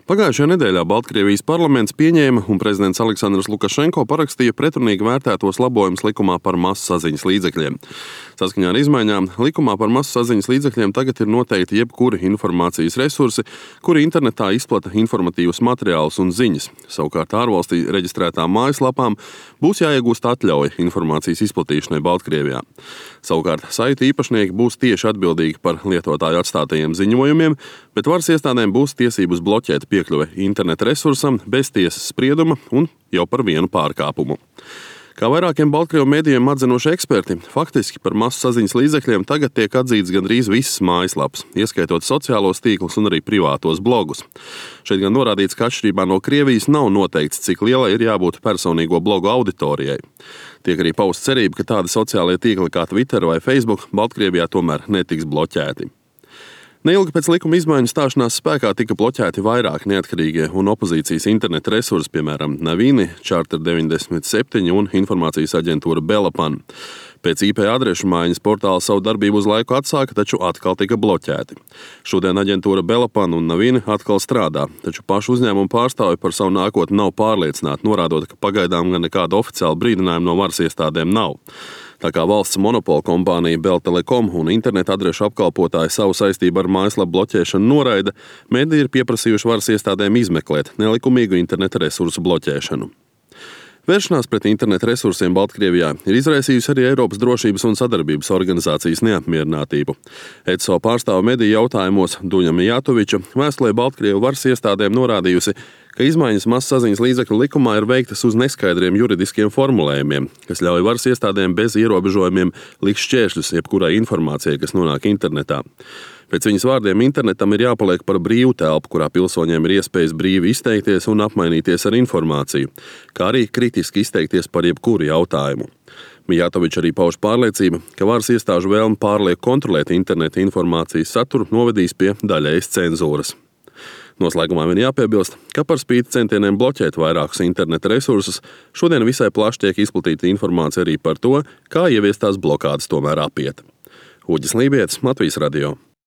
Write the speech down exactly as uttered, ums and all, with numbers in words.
Pagājušajā nedēļā Baltkrievijas parlaments pieņēma un prezidents Aleksandrs Lukašenko parakstīja pretrunīgi vērtētos labojumus likumā par masu saziņas līdzekļiem. Saskaņā ar izmaiņām likumā par masu saziņas līdzekļiem tagad ir noteikti jebkuri informācijas resursi, kuri internetā izplata informatīvus materiālus un ziņas. Savukārt ārvalstī reģistrētām mājaslapām būs jāiegūst atļauja informācijas izplatīšanai Baltkrievijā. Savukārt saitu īpašnieki būs tieši atbildīgi par lietotāju atstātajiem ziņojumiem, bet varas iestādēm būs tiesības bloķēt piekļuve interneta resursam bez tiesas sprieduma un jau par vienu pārkāpumu. Kā vairākiem Baltkrievu medijiem atzinoši eksperti, faktiski par masu saziņas līdzekļiem tagad tiek atzīts gandrīz visas mājaslapas, ieskaitot sociālos tīklus un arī privātos blogus. Šeit gan norādīts, ka atšķirībā no Krievijas nav noteikts, cik lielai ir jābūt personīgo blogu auditorijai. Tiek arī pausta cerība, ka tādi sociālie tīkli kā Twitter vai Facebook Baltkrievijā tomēr netiks bloķēti. Neilgi pēc likuma izmaiņu stāšanās spēkā tika bloķēti vairāk neatkarīgie un opozīcijas interneta resursi, piemēram, Navini, Charter deviņdesmit septiņi un informācijas aģentūra Belapan. Pēc I P adrešu maiņas portāli savu darbību uz laiku atsāka, taču atkal tika bloķēti. Šodien aģentūra Belapan un Navini atkal strādā, taču pašu uzņēmumu pārstāvi par savu nākotni nav pārliecināti, norādot, ka pagaidām gan nekāda oficiāla brīdinājuma no varas iestādēm nav. Tā kā valsts monopola kompānija Beltelekom un interneta adrešu apkalpotāji savu saistību ar mājaslapu bloķēšanu noraida, mediji ir pieprasījuši varas iestādēm izmeklēt nelikumīgu interneta resursu bloķēšanu. Vēršanās pret interneta resursiem Baltkrievijā ir izraisījusi arī Eiropas drošības un sadarbības organizācijas neapmierinātību. E C O pārstāve mediju jautājumos Duņa Mijatoviča vēstulē Baltkrievu varas iestādēm norādījusi, ka izmaiņas masasaziņas līdzekļu likumā ir veiktas uz neskaidriem juridiskiem formulējumiem, kas ļauj varas iestādēm bez ierobežojumiem likt šķēršļus jebkurai informācijai, kas nonāk internetā. Pēc viņas vārdiem internetam ir jāpaliek par brīvu telpu, kurā pilsoņiem ir iespējas brīvi izteikties un apmainīties ar informāciju, kā arī kritiski izteikties par jebkuru jautājumu. Mijatovičs arī pauž pārliecību, ka varas iestāžu vēlme pārlieku kontrolēt interneta informācijas saturu novedīs pie daļējas cenzūras. Noslēgumā vien jāpiebilst, ka par spīti centieniem bloķēt vairākus interneta resursus, šodien visai plaši tiek izplatīta informācija arī par to, kā ieviestās blokādes tomēr apiet. Uģis Lībietis, Latvijas radio.